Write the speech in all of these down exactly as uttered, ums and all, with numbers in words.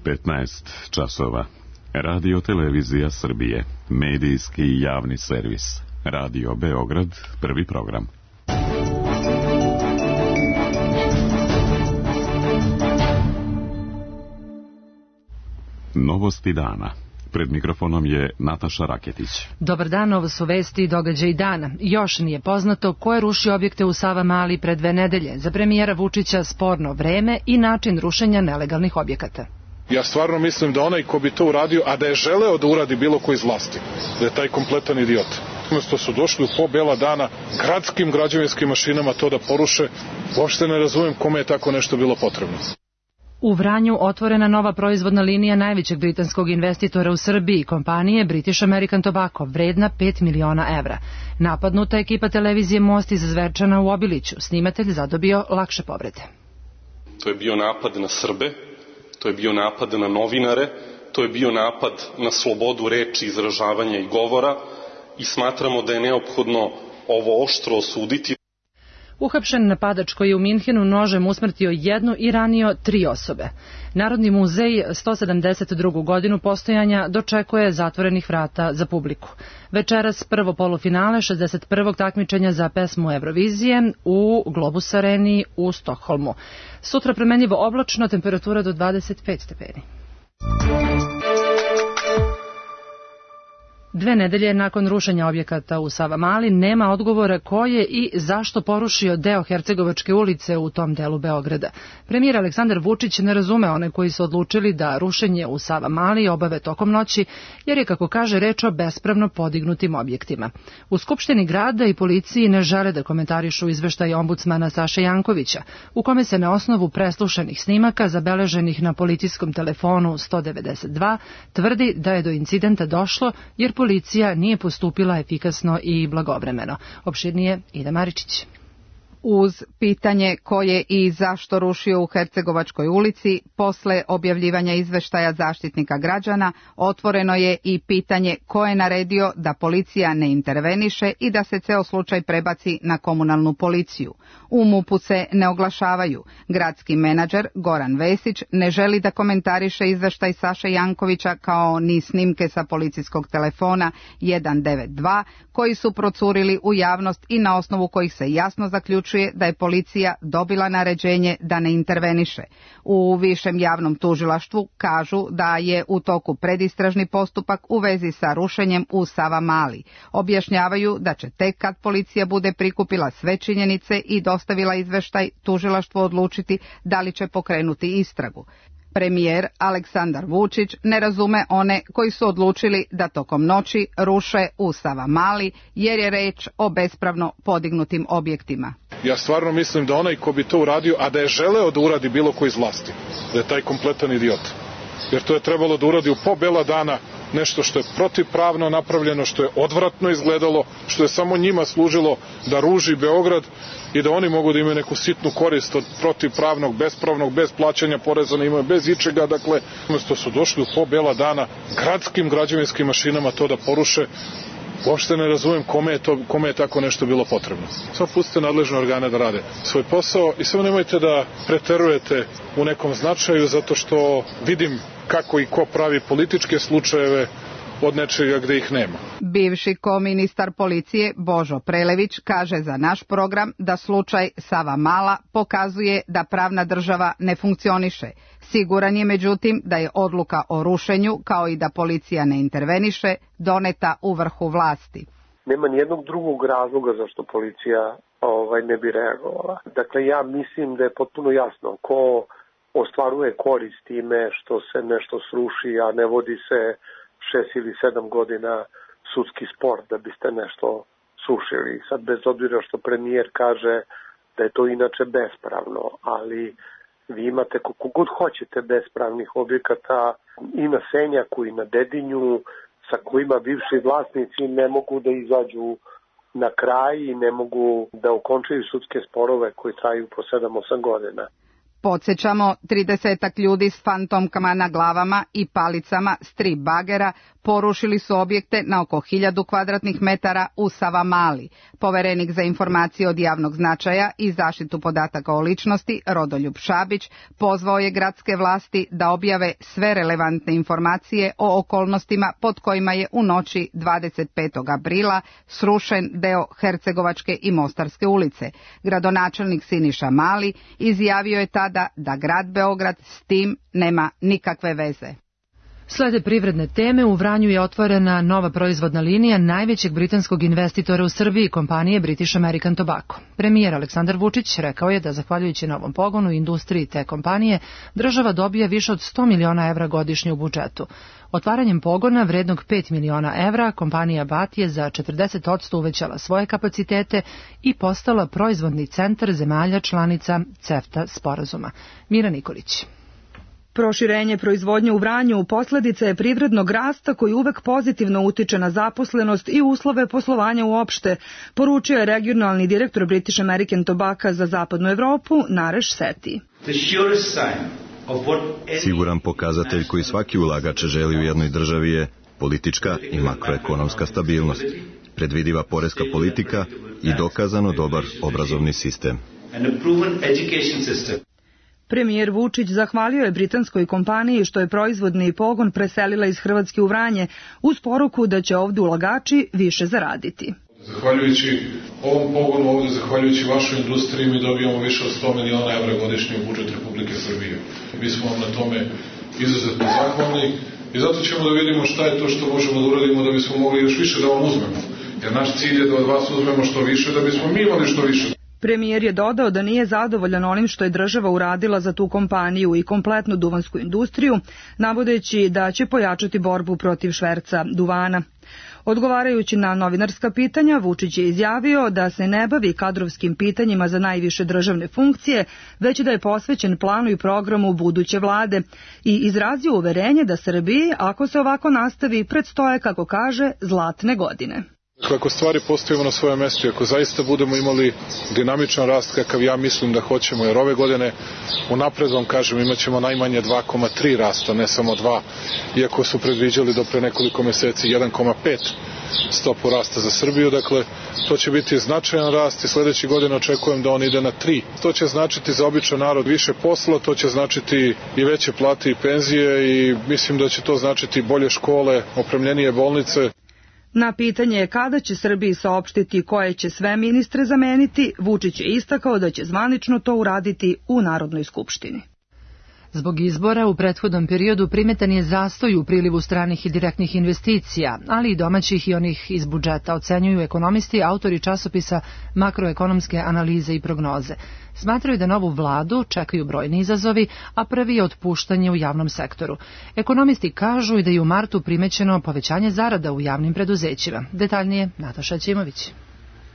petnaest časova. Radio Televizija Srbije, medijski i javni servis. Radio Beograd, prvi program. Novosti dana. Pred mikrofonom je Nataša Raketić. Dobar dan, ovo su vesti i događaji dana. Još nije poznato ko je rušio objekte u Savamali pre dve nedelje. Za premijera Vučića sporno vreme i način rušenja nelegalnih objekata. Ja stvarno mislim da onaj ko bi to uradio, a da je želeo da uradi bilo ko iz vlasti, da je taj kompletan idiot. Umesto su došli u po bela dana gradskim građevinskim mašinama to da poruše, uopšte ne razumem kome je tako nešto bilo potrebno. U Vranju otvorena nova proizvodna linija najvećeg britanskog investitora u Srbiji, kompanije British American Tobacco, vredna pet miliona evra. Napadnuta ekipa televizije Most iz Zvečana u Obiliću. Snimatelj zadobio lakše povrede. To je bio napad na Srbe, to je bio napad na novinare, to je bio napad na slobodu reči, izražavanja i govora i smatramo da je neophodno ovo oštro osuditi. Uhapšen napadač koji je u Minhenu nožem usmrtio jednu i ranio tri osobe. Narodni muzej sto sedamdeset drugu godinu postojanja dočekuje zatvorenih vrata za publiku. Večeras prvo polufinale šezdeset prvog takmičenja za pesmu Eurovizije u Globus Areni u Stokholmu. Sutra promenljivo oblačno, temperatura do dvadeset pet stepeni. Dve nedelje nakon rušenja objekata u Savamali nema odgovora ko je i zašto porušio deo Hercegovačke ulice u tom delu Beograda. Premijer Aleksandar Vučić ne razume one koji su odlučili da rušenje u Savamali obave tokom noći, jer je, kako kaže, reč o bespravno podignutim objektima. U Skupštini grada i policiji ne žele da komentarišu izveštaj ombudsmana Saše Jankovića, u kome se na osnovu preslušanih snimaka zabeleženih na policijskom telefonu sto devedeset dva tvrdi da je do incidenta došlo jer policija nije postupila efikasno i blagovremeno. Opširnije Ida Maričić. Uz pitanje ko je i zašto rušio u Hercegovačkoj ulici, posle objavljivanja izveštaja Zaštitnika građana, otvoreno je i pitanje ko je naredio da policija ne interveniše i da se ceo slučaj prebaci na komunalnu policiju. U MUP-u se ne oglašavaju. Gradski menadžer Goran Vesić ne želi da komentariše izveštaj Saše Jankovića kao ni snimke sa policijskog telefona jedan devet dva koji su procurili u javnost i na osnovu kojih se jasno zaključuje da je policija dobila naređenje da ne interveniše. U višem javnom tužilaštvu kažu da je u toku predistražni postupak u vezi sa rušenjem u Savamali. Objašnjavaju da će tek kad policija bude prikupila sve činjenice i dostavila izveštaj, tužilaštvo odlučiti da li će pokrenuti istragu. Premijer Aleksandar Vučić ne razume one koji su odlučili da tokom noći ruše u Savamali jer je reč o bespravno podignutim objektima. Ja stvarno mislim da onaj ko bi to uradio, a da je želeo da uradi bilo ko iz vlasti, da je taj kompletan idiot. Jer to je trebalo da uradi u po bela dana nešto što je protivpravno napravljeno, što je odvratno izgledalo, što je samo njima služilo da ruži Beograd i da oni mogu da imaju neku sitnu korist od protivpravnog, bespravnog, bez plaćanja poreza na imovinu, bez ičega. Dakle, umesto su došli u po bela dana gradskim građevinskim mašinama to da poruše, uopšte ne razumem kome je, to, kome je tako nešto bilo potrebno. Samo pustite nadležne organe da rade svoj posao i samo nemojte da preterujete u nekom značaju, zato što vidim kako i ko pravi političke slučajeve od nečega gde ih nema. Bivši koministar policije Božo Prelević kaže za naš program da slučaj Savamala pokazuje da pravna država ne funkcioniše. Siguran je međutim da je odluka o rušenju, kao i da policija ne interveniše, doneta u vrhu vlasti. Nema nijednog drugog razloga zašto policija ovaj, ne bi reagovala. Dakle, ja mislim da je potpuno jasno ko ostvaruje korist time što se nešto sruši, a ne vodi se šest ili sedam godina sudski spor da biste nešto srušili. Sad, bez obzira što premijer kaže da je to inače bespravno, ali vi imate koliko god hoćete bespravnih objekata i na Senjaku i na Dedinju, sa kojima bivši vlasnici ne mogu da izađu na kraj i ne mogu da okončaju sudske sporove koji traju po sedam osam godina. Podsjećamo, tridesetak ljudi s fantomkama na glavama i palicama strip bagera porušili su objekte na oko hiljadu kvadratnih metara u Savamali. Poverenik za informacije od javnog značaja i zaštitu podataka o ličnosti, Rodoljub Šabić, pozvao je gradske vlasti da objave sve relevantne informacije o okolnostima pod kojima je u noći dvadeset petog aprila srušen deo Hercegovačke i Mostarske ulice. Gradonačelnik Siniša Mali izjavio je tada da grad Beograd s tim nema nikakve veze. Slede privredne teme, u Vranju je otvorena nova proizvodna linija najvećeg britanskog investitora u Srbiji, kompanije British American Tobacco. Premijer Aleksandar Vučić rekao je da zahvaljujući novom pogonu i industriji te kompanije, država dobija više od sto miliona evra godišnje u budžetu. Otvaranjem pogona vrednog pet miliona evra, kompanija B A T je za četrdeset posto uvećala svoje kapacitete i postala proizvodni centar zemalja članica CEFTA sporazuma. Mira Nikolić. Proširenje proizvodnje u Vranju posledica je privrednog rasta koji uvek pozitivno utiče na zaposlenost i uslove poslovanja uopšte, poručio je regionalni direktor British American Tobacco za zapadnu Evropu, Nareš Seti. Siguran pokazatelj koji svaki ulagač želi u jednoj državi je politička i makroekonomska stabilnost, predvidiva poreska politika i dokazano dobar obrazovni sistem. Premijer Vučić zahvalio je britanskoj kompaniji što je proizvodni pogon preselila iz Hrvatske u Vranje uz poruku da će ovdje ulagači više zaraditi. Zahvaljujući ovom pogonu ovdje, zahvaljujući vašoj industriji, mi dobijamo više od sto miliona evra godišnje u budžet Republike Srbije. Mi smo vam na tome izuzetno zahvalni i zato ćemo da vidimo šta je to što možemo da uradimo da bismo mogli još više da vam uzmemo. Jer naš cilj je da od vas uzmemo što više, da bismo mi imali što više. Premijer je dodao da nije zadovoljan onim što je država uradila za tu kompaniju i kompletnu duvansku industriju, navodeći da će pojačati borbu protiv šverca duvana. Odgovarajući na novinarska pitanja, Vučić je izjavio da se ne bavi kadrovskim pitanjima za najviše državne funkcije, već da je posvećen planu i programu buduće vlade i izrazio uverenje da Srbiji, ako se ovako nastavi, predstoje, kako kaže, zlatne godine. Ako stvari postavimo na svoje mjesto i ako zaista budemo imali dinamičan rast kakav ja mislim da hoćemo, jer ove godine unapred vam kažem imat ćemo najmanje dva zarez tri rasta, ne samo dva, iako su predviđali do pre nekoliko mjeseci jedan zarez pet stopu rasta za Srbiju, dakle to će biti značajan rast i sljedeće godine očekujem da on ide na tri. To će značiti za običan narod više posla, to će značiti i veće plate i penzije i mislim da će to značiti bolje škole, opremljenije bolnice. Na pitanje kada će Srbiji saopštiti koje će sve ministre zameniti, Vučić je istakao da će zvanično to uraditi u Narodnoj skupštini. Zbog izbora u prethodnom periodu primetan je zastoj u prilivu stranih i direktnih investicija, ali i domaćih i onih iz budžeta, ocenjuju ekonomisti, autori časopisa Makroekonomske analize i prognoze. Smatraju da novu vladu čekaju brojni izazovi, a prvi je otpuštanje u javnom sektoru. Ekonomisti kažu i da je u martu primećeno povećanje zarada u javnim preduzećima. Detaljnije Nataša Ćimović.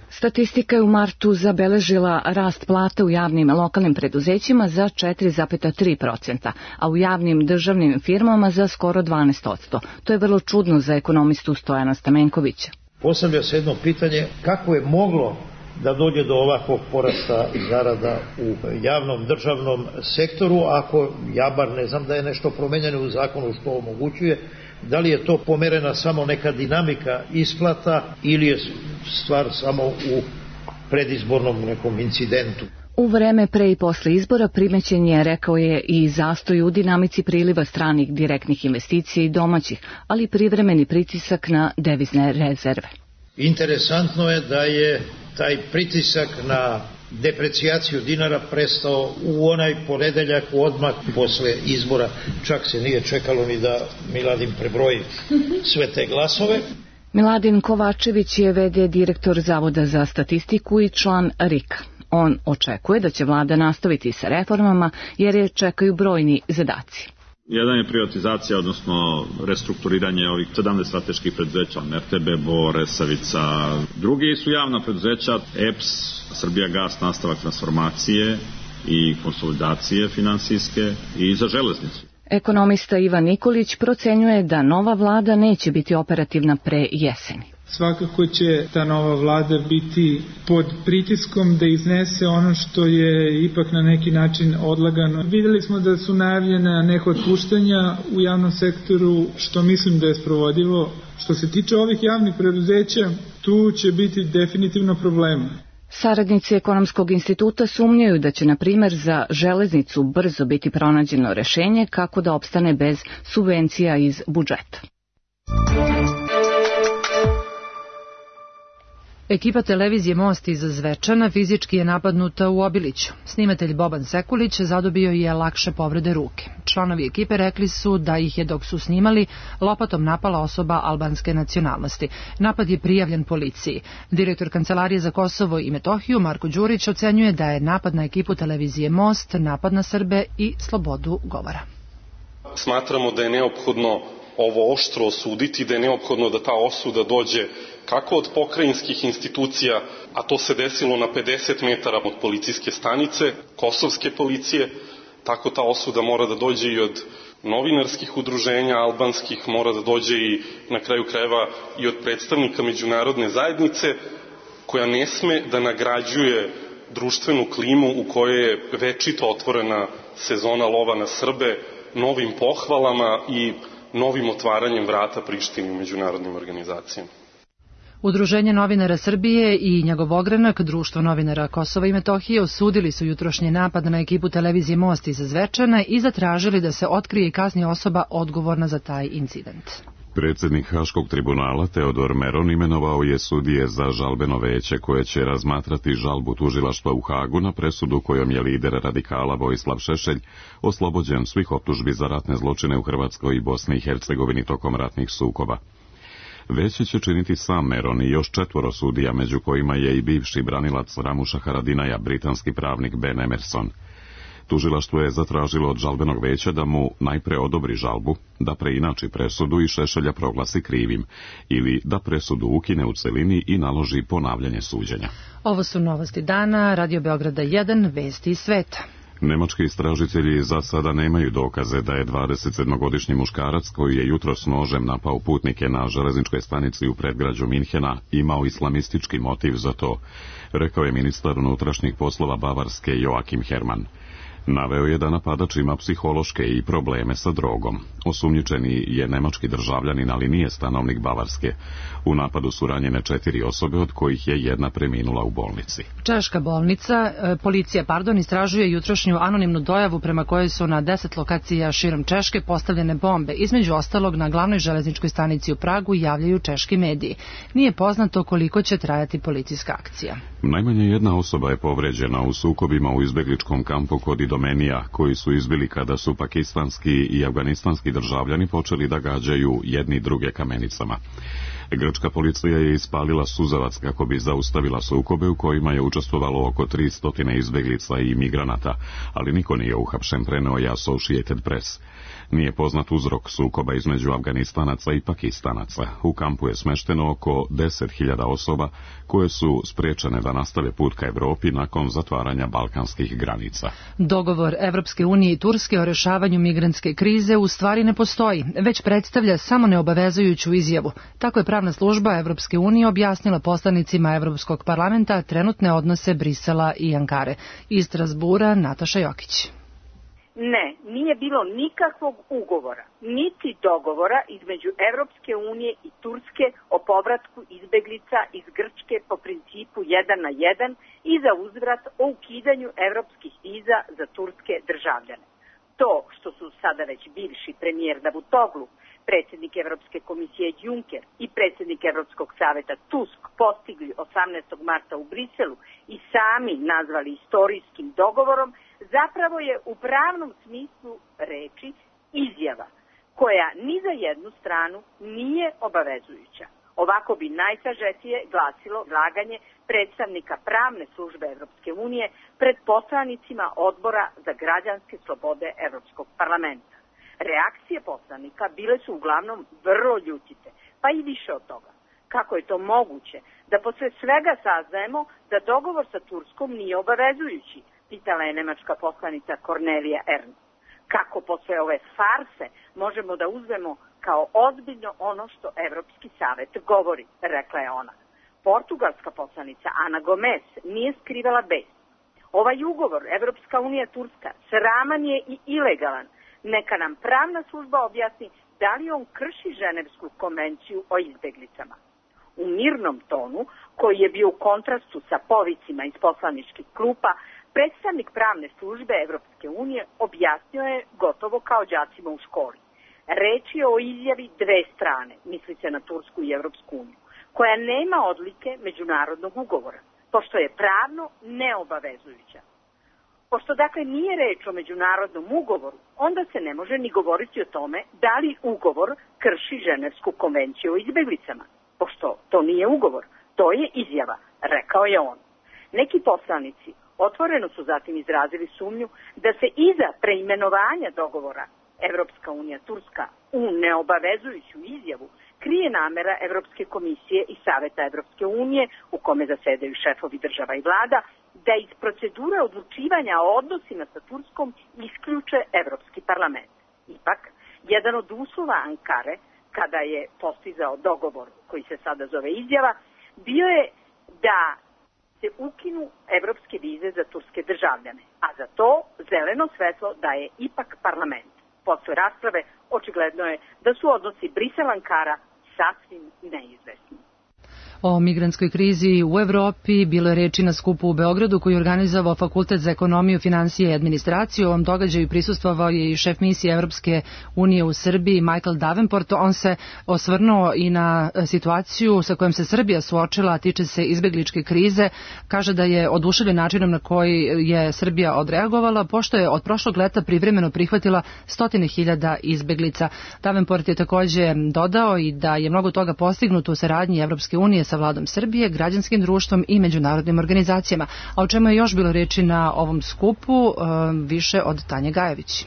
Statistika je u martu zabeležila rast plata u javnim lokalnim preduzećima za četiri zarez tri posto, a u javnim državnim firmama za skoro dvanaest posto. To je vrlo čudno za ekonomistu Stojana Stamenkovića. Postavlja se jedno pitanje kako je moglo da dođe do ovakvog porasta zarada u javnom državnom sektoru, ako ja bar ne znam da je nešto promenjeno u zakonu što omogućuje. Da li je to pomerena samo neka dinamika isplata ili je stvar samo u predizbornom nekom incidentu? U vreme pre i posle izbora primećen je, rekao je, i zastoj u dinamici priliva stranih direktnih investicija i domaćih, ali privremeni pritisak na devizne rezerve. Interesantno je da je taj pritisak na deprecijaciju dinara prestao u onaj ponedeljak odmah posle izbora. Čak se nije čekalo ni da Miladin prebroji sve te glasove. Miladin Kovačević je ve de direktor Zavoda za statistiku i član R I K-a. On očekuje da će vlada nastaviti sa reformama jer je čekaju brojni zadaci. Jedan je privatizacija, odnosno restrukturiranje ovih sedamnaest strateških preduzeća, R T B Bor, Resavica. Drugi su javna preduzeća, E P S, Srbijagas, nastavak transformacije i konsolidacije finansijske i za železnicu. Ekonomista Ivan Nikolić procenjuje da nova vlada neće biti operativna pre jeseni. Svakako će ta nova vlada biti pod pritiskom da iznese ono što je ipak na neki način odlagano. Videli smo da su najavljena neka otpuštanja u javnom sektoru, što mislim da je sprovodivo. Što se tiče ovih javnih preduzeća, tu će biti definitivno problema. Saradnici Ekonomskog instituta sumnjaju da će, na primjer, za železnicu brzo biti pronađeno rešenje kako da opstane bez subvencija iz budžeta. Ekipa televizije Most iz Zvečana fizički je napadnuta u Obiliću. Snimatelj Boban Sekulić zadobio je lakše povrede ruke. Članovi ekipe rekli su da ih je dok su snimali lopatom napala osoba albanske nacionalnosti. Napad je prijavljen policiji. Direktor Kancelarije za Kosovo i Metohiju Marko Đurić ocenjuje da je napad na ekipu televizije Most napad na Srbe i slobodu govora. Smatramo da je neophodno ovo oštro osuditi, da je neophodno da ta osuda dođe kako od pokrajinskih institucija, a to se desilo na pedeset metara od policijske stanice, kosovske policije, tako ta osuda mora da dođe i od novinarskih udruženja albanskih, mora da dođe i na kraju krajeva i od predstavnika međunarodne zajednice, koja ne sme da nagrađuje društvenu klimu u kojoj je večito otvorena sezona lova na Srbe novim pohvalama i novim otvaranjem vrata Prištini u međunarodnim organizacijama. Udruženje novinara Srbije i njegov ogranak, Društvo novinara Kosova i Metohije, osudili su jutrošnji napad na ekipu televizije Most iz Zvečana i zatražili da se otkrije i kazni osoba odgovorna za taj incident. Predsjednik Haškog tribunala Teodor Meron imenovao je sudije za žalbeno veće koje će razmatrati žalbu tužilaštva u Hagu na presudu kojom je lider radikala Vojislav Šešelj oslobođen svih optužbi za ratne zločine u Hrvatskoj i Bosni i Hercegovini tokom ratnih sukoba. Veće će činiti sam Meron i još četvoro sudija, među kojima je i bivši branilac Ramuša Haradinaja, britanski pravnik Ben Emerson. Tužilaštvo je zatražilo od žalbenog veća da mu najpre odobri žalbu, da preinači presudu i Šešelja proglasi krivim, ili da presudu ukine u celini i naloži ponavljanje suđenja. Ovo su novosti dana, Radio Beograda jedan, vesti iz sveta. Nemački istražitelji za sada nemaju dokaze da je dvadesetsedmogodišnji muškarac koji je jutros nožem napao putnike na železničkoj stanici u predgrađu Minhena imao islamistički motiv za to, rekao je ministar unutrašnjih poslova Bavarske Joachim Herrmann. Naveo je da napadač ima psihološke i probleme sa drogom. Osumnjičeni je nemački državljanin, ali nije stanovnik Bavarske. U napadu su ranjene četiri osobe, od kojih je jedna preminula u bolnici. Češka bolnica, policija, pardon, istražuje jutrošnju anonimnu dojavu prema kojoj su na deset lokacija širom Češke postavljene bombe. Između ostalog, na glavnoj železničkoj stanici u Pragu javljaju češki mediji. Nije poznato koliko će trajati policijska akcija. Najmanje jedna osoba je povređena u sukobima u izbegličkom kampu kod Idomenija, koji su izbili kada su pakistanski i afganistanski državljani počeli da gađaju jedni druge kamenicama. Grčka policija je ispalila suzavac kako bi zaustavila sukobe u kojima je učestvovalo oko tristo izbeglica i migranata, ali niko nije uhapšen, preneo je Associated Press. Nije poznat uzrok sukoba između Afganistanaca i Pakistanaca. U kampu je smešteno oko deset hiljada osoba koje su spriječene da nastave put ka Evropi nakon zatvaranja balkanskih granica. Dogovor Evropske unije i Turske o rešavanju migrantske krize u stvari ne postoji, već predstavlja samo neobavezujuću izjavu. Tako je pravna služba Evropske unije objasnila poslanicima Evropskog parlamenta trenutne odnose Brisela i Ankare. Iz Strasbura, Nataša Jokić. Ne, nije bilo nikakvog ugovora, niti dogovora između Evropske unije i Turske o povratku izbeglica iz Grčke po principu jedan na jedan i za uzvrat o ukidanju evropskih viza za turske državljane. To što su sada već bivši premijer Davutoglu, predsjednik Evropske komisije Juncker i predsjednik Evropskog saveta Tusk postigli osamnaestog marta u Briselu i sami nazvali istorijskim dogovorom, zapravo je u pravnom smislu reči izjava koja ni za jednu stranu nije obavezujuća. Ovako bi najsažetije glasilo izlaganje predstavnika pravne službe Evropske unije pred poslanicima Odbora za građanske slobode Evropskog parlamenta. Reakcije poslanika bile su uglavnom vrlo ljutite, pa i više od toga. Kako je to moguće da posle svega saznajemo da dogovor sa Turskom nije obavezujući, pitala je nemačka poslanica Cornelia Ernst. Kako posle ove farse možemo da uzmemo kao ozbiljno ono što Evropski savet govori, rekla je ona. Portugalska poslanica Ana Gomes nije skrivala bes. Ovaj ugovor Evropska unija Turska sraman je i ilegalan. Neka nam pravna služba objasni da li on krši Ženevsku konvenciju o izbeglicama. U mirnom tonu, koji je bio u kontrastu sa povicima iz poslaničkih klupa, predstavnik pravne službe Evropske unije objasnio je gotovo kao đacima u školi. Reč je o izjavi dve strane, misli se na Tursku i Evropsku uniju, koja nema odlike međunarodnog ugovora, pošto je pravno neobavezujuća. Pošto dakle nije reč o međunarodnom ugovoru, onda se ne može ni govoriti o tome da li ugovor krši Ženevsku konvenciju o izbeglicama. Pošto to nije ugovor, to je izjava, rekao je on. Neki poslanici otvoreno su zatim izrazili sumnju da se iza preimenovanja dogovora Evropska unija Turska u neobavezujuću izjavu krije namera Evropske komisije i Saveta Evropske unije, u kome zasedaju šefovi država i vlada, da iz procedure odlučivanja o odnosima sa Turskom isključe Evropski parlament. Ipak, jedan od uslova Ankare, kada je postizao dogovor koji se sada zove izjava, bio je da se ukinu evropske vize za turske državljane, a za to zeleno svetlo daje ipak parlament. Posle rasprave očigledno je da su odnosi Brisel-Ankara sasvim neizvesni. O migrantskoj krizi u Evropi bilo je reči na skupu u Beogradu koji je organizovao Fakultet za ekonomiju, finansije i administraciju. U ovom događaju prisustvovao je i šef misije Evropske unije u Srbiji Michael Davenport. On se osvrnuo i na situaciju sa kojom se Srbija suočila, a tiče se izbegličke krize. Kaže da je oduševljen načinom na koji je Srbija odreagovala, pošto je od prošlog leta privremeno prihvatila stotine hiljada izbeglica. Davenport je takođe dodao i da je mnogo toga postignuto u saradnji Evropske unije sa vladom Srbije, građanskim društvom i međunarodnim organizacijama. A o čemu je još bilo reči na ovom skupu, više od Tanje Gajević.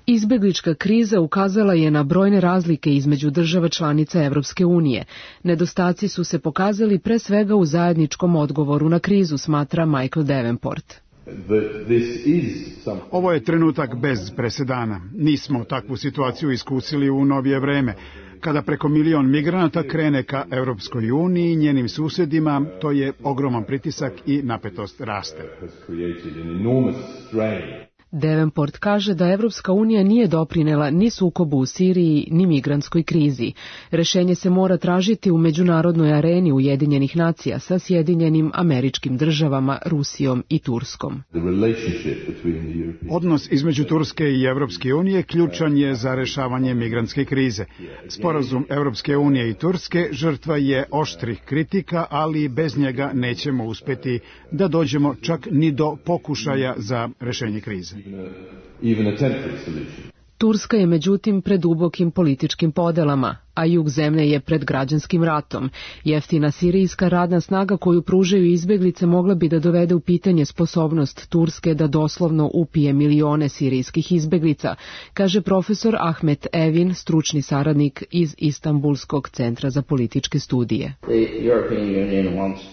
Izbeglička kriza ukazala je na brojne razlike između država članica Evropske unije. Nedostaci su se pokazali pre svega u zajedničkom odgovoru na krizu, smatra Michael Davenport. Ovo je trenutak bez presedana. Nismo takvu situaciju iskusili u novije vreme. Kada preko milion migranata krene ka Evropskoj uniji i njenim susedima, to je ogroman pritisak i napetost raste. Davenport kaže da Evropska unija nije doprinela ni sukobu u Siriji, ni migrantskoj krizi. Rešenje se mora tražiti u međunarodnoj areni Ujedinjenih nacija sa Sjedinjenim Američkim državama, Rusijom i Turskom. Odnos između Turske i Evropske unije ključan je za rešavanje migrantske krize. Sporazum Evropske unije i Turske žrtva je oštrih kritika, ali bez njega nećemo uspeti da dođemo čak ni do pokušaja za rešenje krize. Turska je međutim pred dubokim političkim podelama, a jug zemlje je pred građanskim ratom. Jeftina sirijska radna snaga koju pružaju izbeglice mogla bi da dovede u pitanje sposobnost Turske da doslovno upije milione sirijskih izbeglica, kaže profesor Ahmet Evin, stručni saradnik iz Istanbulskog centra za političke studije.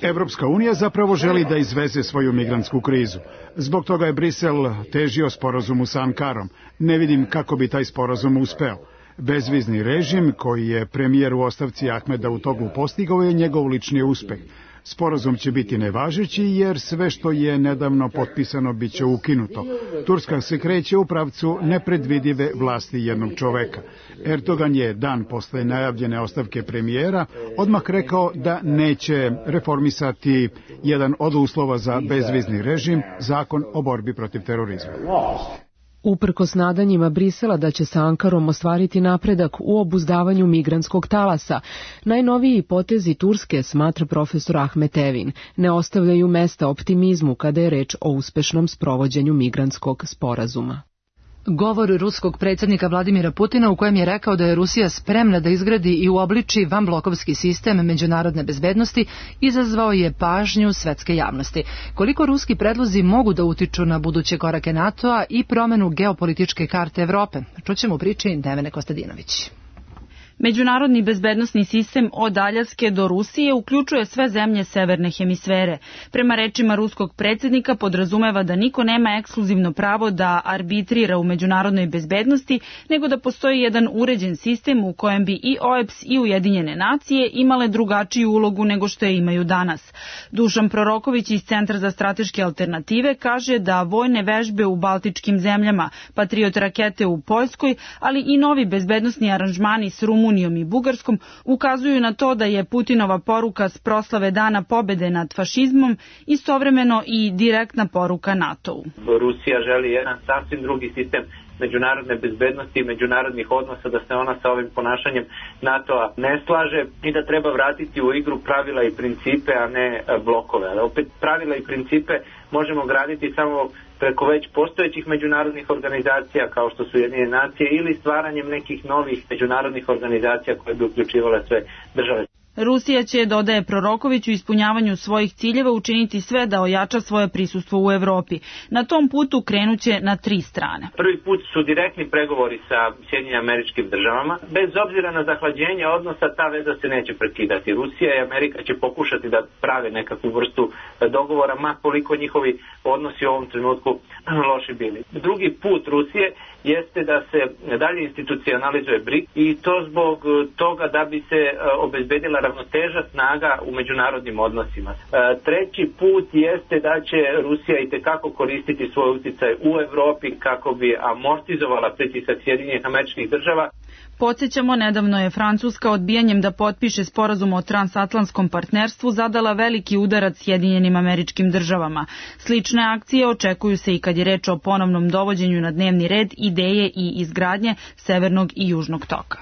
Evropska unija zapravo želi da izveze svoju migrantsku krizu. Zbog toga je Brisel težio sporazumu sa Ankarom. Ne vidim kako bi taj sporazum uspeo. Bezvizni režim, koji je premijer u ostavci Ahmed Davutoglu postigao, je njegov lični uspeh. Sporazum će biti nevažeći jer sve što je nedavno potpisano bit će ukinuto. Turska se kreće u pravcu nepredvidive vlasti jednog čoveka. Erdogan je dan posle najavljene ostavke premijera odmah rekao da neće reformisati jedan od uslova za bezvizni režim, zakon o borbi protiv terorizma. Uprkos nadanjima Brisela da će sa Ankarom ostvariti napredak u obuzdavanju migrantskog talasa, najnoviji potezi Turske, smatra profesor Ahmet Evin, ne ostavljaju mesta optimizmu kada je reč o uspešnom sprovođenju migrantskog sporazuma. Govor ruskog predsjednika Vladimira Putina u kojem je rekao da je Rusija spremna da izgradi i uobliči vanblokovski sistem međunarodne bezbednosti izazvao je pažnju svetske javnosti. Koliko ruski predlozi mogu da utiču na buduće korake NATO-a i promenu geopolitičke karte Evrope? Čućemo u priči Nevene Kostadinović. Međunarodni bezbednosni sistem od Aljaske do Rusije uključuje sve zemlje severne hemisfere. Prema rečima ruskog predsjednika podrazumeva da niko nema ekskluzivno pravo da arbitrira u međunarodnoj bezbednosti, nego da postoji jedan uređen sistem u kojem bi i O E B S i Ujedinjene nacije imale drugačiju ulogu nego što je imaju danas. Dušan Proroković iz Centra za strateške alternative kaže da vojne vežbe u baltičkim zemljama, Patriot rakete u Poljskoj, ali i novi bezbednosni aranžmani s Rumunijom i Bugarskom ukazuju na to da je Putinova poruka s proslave Dana pobede nad fašizmom istovremeno i direktna poruka NATO-u. Rusija želi jedan sasvim drugi sistem međunarodne bezbednosti i međunarodnih odnosa, da se ona sa ovim ponašanjem NATO-a ne slaže i da treba vratiti u igru pravila i principe, a ne blokove. Ali opet pravila i principe možemo graditi samo preko već postojećih međunarodnih organizacija kao što su Ujedinjene nacije ili stvaranjem nekih novih međunarodnih organizacija koje bi uključivale sve države. Rusija će, dodaje Proroković, u ispunjavanju svojih ciljeva učiniti sve da ojača svoje prisustvo u Evropi. Na tom putu krenuće na tri strane. Prvi put su direktni pregovori sa Sjedinjenim Američkim Državama. Bez obzira na zahlađenje odnosa, ta veza se neće prekidati. Rusija i Amerika će pokušati da prave nekakvu vrstu dogovora, ma koliko njihovi odnosi u ovom trenutku loši bili. Drugi put Rusije jeste da se dalje institucionalizuje BRIC i to zbog toga da bi se obezbedila ravnoteža snaga u međunarodnim odnosima. Treći put jeste da će Rusija itekako koristiti svoj uticaj u Evropi kako bi amortizovala pritisak Sjedinjenih Američkih Država. Podsjećamo, nedavno je Francuska odbijanjem da potpiše sporazum o transatlantskom partnerstvu zadala veliki udarac Sjedinjenim Američkim Državama. Slične akcije očekuju se i kad je reč o ponovnom dovođenju na dnevni red ideje i izgradnje Severnog i Južnog toka.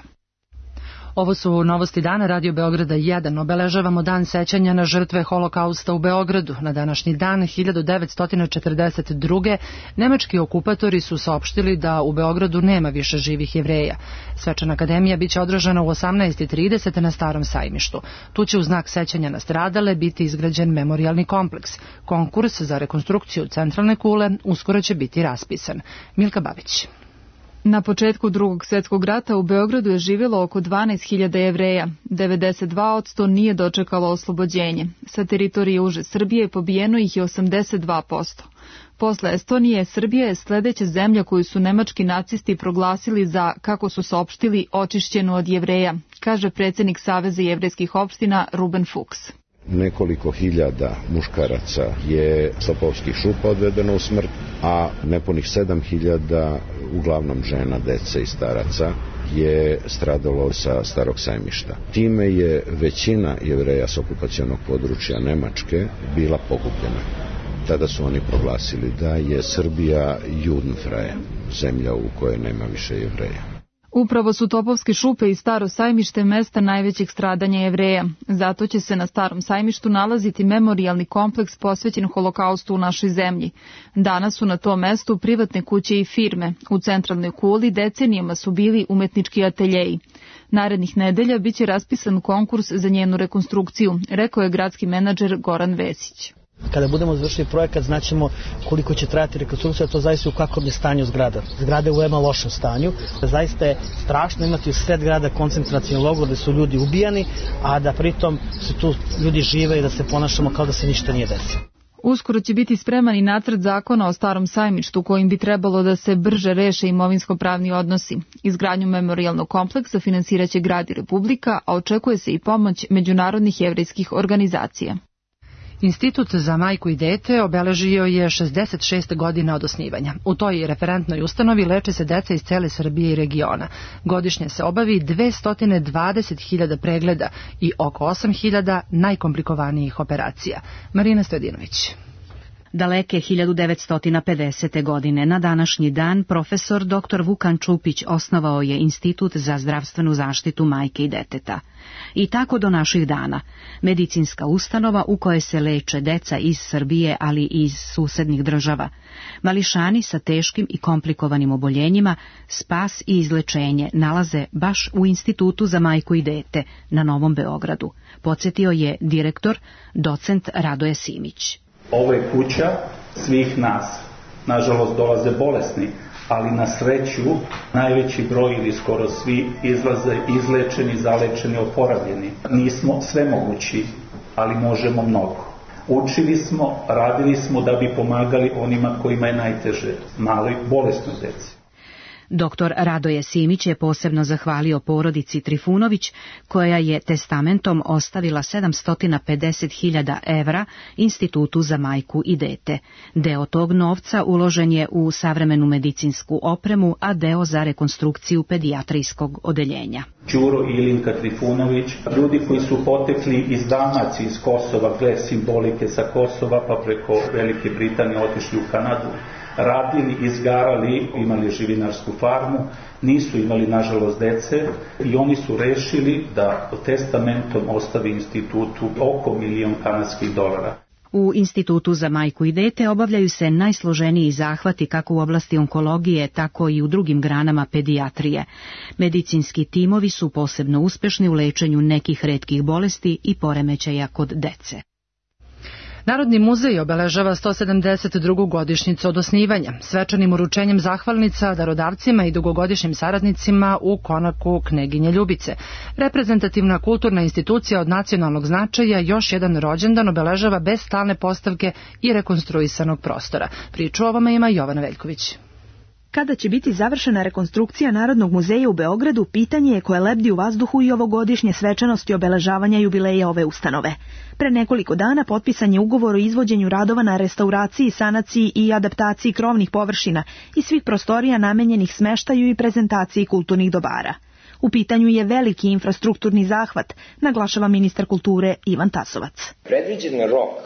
Ovo su novosti dana Radio Beograda jedan. Obeležavamo dan sećanja na žrtve Holokausta u Beogradu. Na današnji dan hiljadu devetsto četrdeset druge. nemački okupatori su saopštili da u Beogradu nema više živih Jevreja. Svečana akademija biće održana u osamnaest i trideset na Starom sajmištu. Tu će u znak sećanja na stradale biti izgrađen memorijalni kompleks. Konkurs za rekonstrukciju centralne kule uskoro će biti raspisan. Milka Babić. Na početku Drugog svjetskog rata u Beogradu je živjelo oko dvanaest hiljada Jevreja. devedeset dva posto nije dočekalo oslobođenje. Sa teritorije uže Srbije pobijeno ih je osamdeset dva posto. Posle Estonije, Srbija je sljedeća zemlja koju su nemački nacisti proglasili za, kako su saopštili, očišćenu od Jevreja, kaže predsjednik Saveza jevrejskih opština Ruben Fuchs. Nekoliko hiljada muškaraca je sa Popovskih šupa odvedeno u smrt, a nepunih sedam hiljada, uglavnom žena, dece i staraca, je stradalo sa Starog sajmišta. Time je većina Jevreja s okupacionog područja Nemačke bila pogubljena. Tada su oni proglasili da je Srbija Judenfreie, zemlja u kojoj nema više Jevreja. Upravo su Topovske šupe i Staro sajmište mesta najvećeg stradanja Jevreja. Zato će se na Starom sajmištu nalaziti memorijalni kompleks posvećen Holokaustu u našoj zemlji. Danas su na tom mestu privatne kuće i firme. U centralnoj kuli decenijama su bili umetnički ateljeji. Narednih nedelja biće raspisan konkurs za njenu rekonstrukciju, rekao je gradski menadžer Goran Vesić. Kada budemo završili projekat, znaćemo koliko će trajati rekonstrukcija, to zaista u kakvom je stanju zgrada. Zgrada je u veoma lošem stanju. Zaista je strašno imati u sred grada koncentracioni logor gde su ljudi ubijani, a da pritom se tu ljudi žive i da se ponašamo kao da se ništa nije desilo. Uskoro će biti spreman i nacrt zakona o Starom sajmištu kojim bi trebalo da se brže reše imovinsko-pravni odnosi. Izgradnju memorijalnog kompleksa finansiraće grad i Republika, a očekuje se i pomoć međunarodnih jevrejskih organizacija. Institut za majku i dete obeležio je šezdeset šest godina od osnivanja. U toj referentnoj ustanovi leče se deca iz cele Srbije i regiona. Godišnje se obavi dvesta dvadeset hiljada pregleda i oko osam hiljada najkomplikovanijih operacija. Marina Stojadinović. Daleke hiljadu devetsto pedesete. godine na današnji dan profesor doktor Vukan Čupić osnovao je Institut za zdravstvenu zaštitu majke i deteta. I tako do naših dana. Medicinska ustanova u kojoj se leče deca iz Srbije, ali i iz susednih država. Mališani sa teškim i komplikovanim oboljenjima spas i izlečenje nalaze baš u Institutu za majku i dete na Novom Beogradu, podsjetio je direktor, docent Radoje Simić. Ovo je kuća svih nas. Nažalost, dolaze bolesni, ali na sreću najveći broj ili skoro svi izlaze izlečeni, zalečeni, oporavljeni. Nismo svemogući, ali možemo mnogo. Učili smo, radili smo da bi pomagali onima kojima je najteže, maloj bolesnoj deci. Doktor Radoje Simić je posebno zahvalio porodici Trifunović, koja je testamentom ostavila sedamsto pedeset hiljada evra Institutu za majku i dete. Deo tog novca uložen je u savremenu medicinsku opremu, a deo za rekonstrukciju pedijatrijskog odeljenja. Đuro i Ilinka Trifunović, ljudi koji su potekli iz Dalmacije, iz Kosova, gle simbolike sa Kosova, pa preko Velike Britanije otišli u Kanadu, radili, izgarali, imali živinarsku farmu, nisu imali nažalost dece i oni su rešili da testamentom ostavi institutu oko milion kanadskih dolara. U Institutu za majku i dete obavljaju se najsloženiji zahvati kako u oblasti onkologije, tako i u drugim granama pedijatrije. Medicinski timovi su posebno uspešni u lečenju nekih retkih bolesti i poremećaja kod dece. Narodni muzej obeležava sto sedamdeset drugu godišnjicu od osnivanja, svečanim uručenjem zahvalnica darodavcima i dugogodišnjim saradnicima u konaku Kneginje Ljubice. Reprezentativna kulturna institucija od nacionalnog značaja još jedan rođendan obeležava bez stalne postavke i rekonstruisanog prostora. Priču o ovome ima Jovana Veljković. Kada će biti završena rekonstrukcija Narodnog muzeja u Beogradu, pitanje je koje lebdi u vazduhu i ovogodišnje svečanosti obeležavanja jubileja ove ustanove. Pre nekoliko dana potpisan je ugovor o izvođenju radova na restauraciji, sanaciji i adaptaciji krovnih površina i svih prostorija namenjenih smeštaju i prezentaciji kulturnih dobara. U pitanju je veliki infrastrukturni zahvat, naglašava ministar kulture Ivan Tasovac. Predviđen rok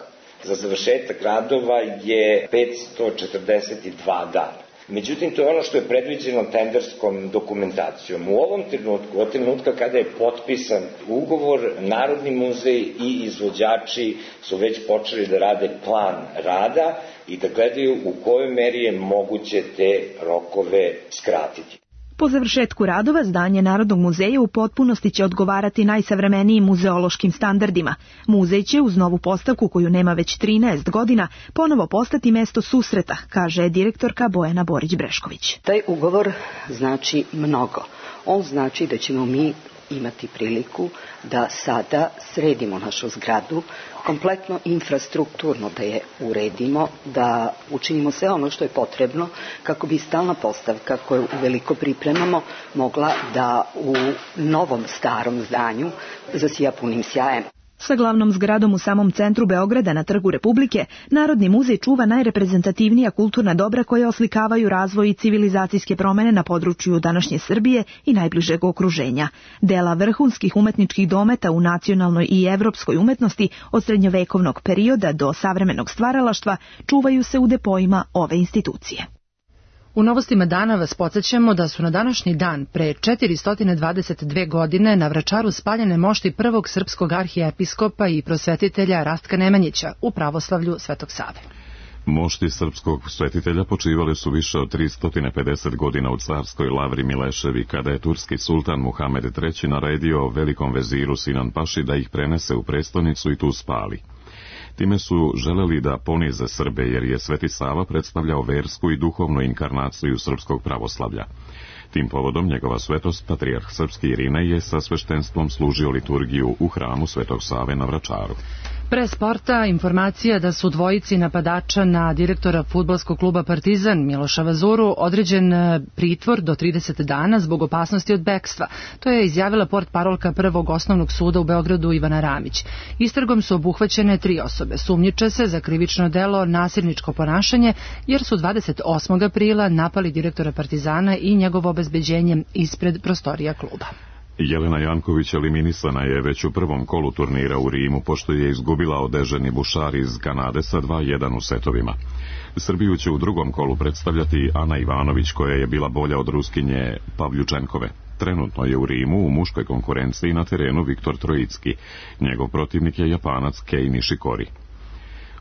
za završetak radova je petsto četrdeset dva dana. Međutim, to je ono što je predviđeno tenderskom dokumentacijom. U ovom trenutku, od trenutka kada je potpisan ugovor, Narodni muzej i izvođači su već počeli da rade plan rada i da gledaju u kojoj meri je moguće te rokove skratiti. Po završetku radova, zdanje Narodnog muzeja u potpunosti će odgovarati najsavremenijim muzeološkim standardima. Muzej će, uz novu postavku koju nema već trinaest godina, ponovo postati mesto susreta, kaže direktorka Bojana Borić-Brešković. Taj ugovor znači mnogo. On znači da ćemo mi imati priliku da sada sredimo našu zgradu, kompletno infrastrukturno da je uredimo, da učinimo sve ono što je potrebno kako bi stalna postavka koju uveliko pripremamo mogla da u novom starom zdanju zasija punim sjajem. Sa glavnom zgradom u samom centru Beograda na Trgu Republike, Narodni muzej čuva najreprezentativnija kulturna dobra koje oslikavaju razvoj i civilizacijske promene na području današnje Srbije i najbližeg okruženja. Dela vrhunskih umetničkih dometa u nacionalnoj i evropskoj umetnosti od srednjovekovnog perioda do savremenog stvaralaštva čuvaju se u depojima ove institucije. U novostima dana vas podsjećamo da su na današnji dan pre četiristo dvadeset dve godine na Vračaru spaljene mošti prvog srpskog arhijepiskopa i prosvetitelja Rastka Nemanjića u pravoslavlju Svetog Save. Mošti srpskog svetitelja počivali su više od tristo pedeset godina u carskoj Lavri Mileševi, kada je turski sultan Muhamed treći naredio velikom veziru Sinan Paši da ih prenese u prestonicu i tu spali. Time su želeli da ponize Srbe, jer je Sveti Sava predstavljao versku i duhovnu inkarnaciju srpskog pravoslavlja. Tim povodom njegova svetost, patrijarh srpski Irinej, je sa sveštenstvom služio liturgiju u hramu Svetog Save na Vračaru. Pre sporta informacija da su dvojici napadača na direktora fudbalskog kluba Partizan Miloša Vazuru određen pritvor do trideset dana zbog opasnosti od bekstva. To je izjavila portparolka Prvog osnovnog suda u Beogradu Ivana Ramić. Istragom su obuhvaćene tri osobe. Sumnjiče se za krivično delo nasilničko ponašanje, jer su dvadeset osmog aprila napali direktora Partizana i njegovo obezbeđenje ispred prostorija kluba. Jelena Janković eliminisana je već u prvom kolu turnira u Rimu, pošto je izgubila od Eženi Bušar iz Kanade sa dva jedan u setovima. Srbiju će u drugom kolu predstavljati Ana Ivanović, koja je bila bolja od Ruskinje Pavljučenkove. Trenutno je u Rimu u muškoj konkurenciji na terenu Viktor Trojicki. Njegov protivnik je Japanac Kei Nishikori.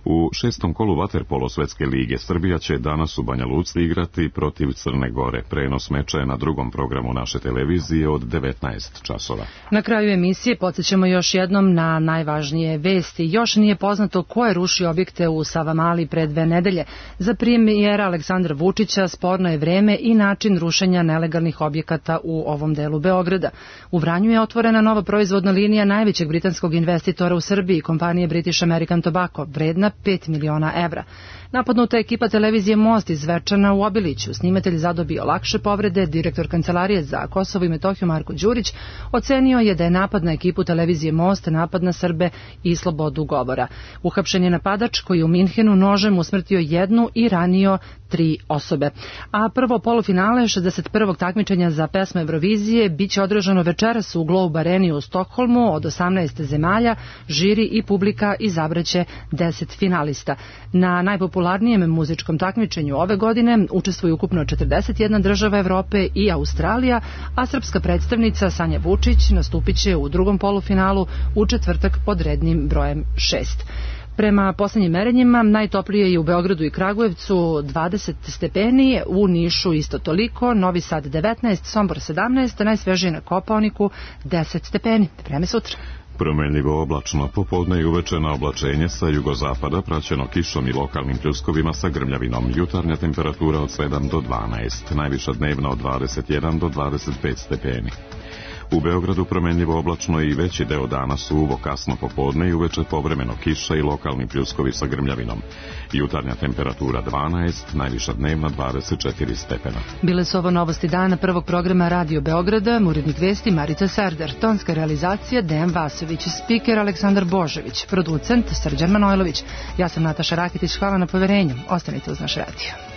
U šestom kolu vaterpolo Svetske lige Srbija će danas u Banja Luci igrati protiv Crne Gore. Prenos meča je na drugom programu naše televizije od devetnaest časova. Na kraju emisije podsjećamo još jednom na najvažnije vesti. Još nije poznato ko je rušio objekte u Savamali pre dve nedelje. Za premijera Aleksandra Vučića sporno je vreme i način rušenja nelegalnih objekata u ovom delu Beograda. U Vranju je otvorena nova proizvodna linija najvećeg britanskog investitora u Srbiji, kompanije British American Tobacco, vredna pet miliona evra. Napadnuta ekipa televizije Most iz Zvečana u Obiliću. Snimatelj zadobio lakše povrede. Direktor Kancelarije za Kosovo i Metohiju Marko Đurić ocenio je da je napad na ekipu televizije Most napad na Srbe i slobodu govora. Uhapšen je napadač koji je u Minhenu nožem usmrtio jednu i ranio tri osobe. A prvo polufinale šezdeset prvog takmičenja za pesme Eurovizije biće održano večeras u Globe Areni u Stokholmu od osamnaest zemalja. Žiri i publika izabraće deset finalista. Na najpopularnijem muzičkom takmičenju ove godine učestvuju ukupno četrdeset jedna država Evrope i Australija, a srpska predstavnica Sanja Vučić nastupit će u drugom polufinalu u četvrtak pod rednim brojem šest. Prema poslednjim merenjima, najtoplije je u Beogradu i Kragujevcu dvadeset stepeni, u Nišu isto toliko, Novi Sad devetnaest, Sombor sedamnaest, najsvežije na Kopaoniku deset stepeni. Vreme sutra. Promenljivo oblačno, popodne i uveče na oblačenje sa jugozapada, praćeno kišom i lokalnim pljuskovima sa grmljavinom. Jutarnja temperatura od sedam do dvanaest, najviša dnevna od dvadeset jedan do dvadeset pet stepeni. U Beogradu promenljivo oblačno i veći deo dana suvo, kasno popodne i uveče povremeno kiša i lokalni pljuskovi sa grmljavinom. Jutarnja temperatura dvanaest, najviša dnevna dvadeset četiri stepena. Bile su ovo novosti dana prvog programa Radio Beograda, urednik vesti Marica Serdar, tonska realizacija Dejan Vasović, spiker Aleksandar Božević, producent Srđan Manojlović. Ja sam Nataša Rakitić, hvala na poverenju. Ostanite uz naš radio.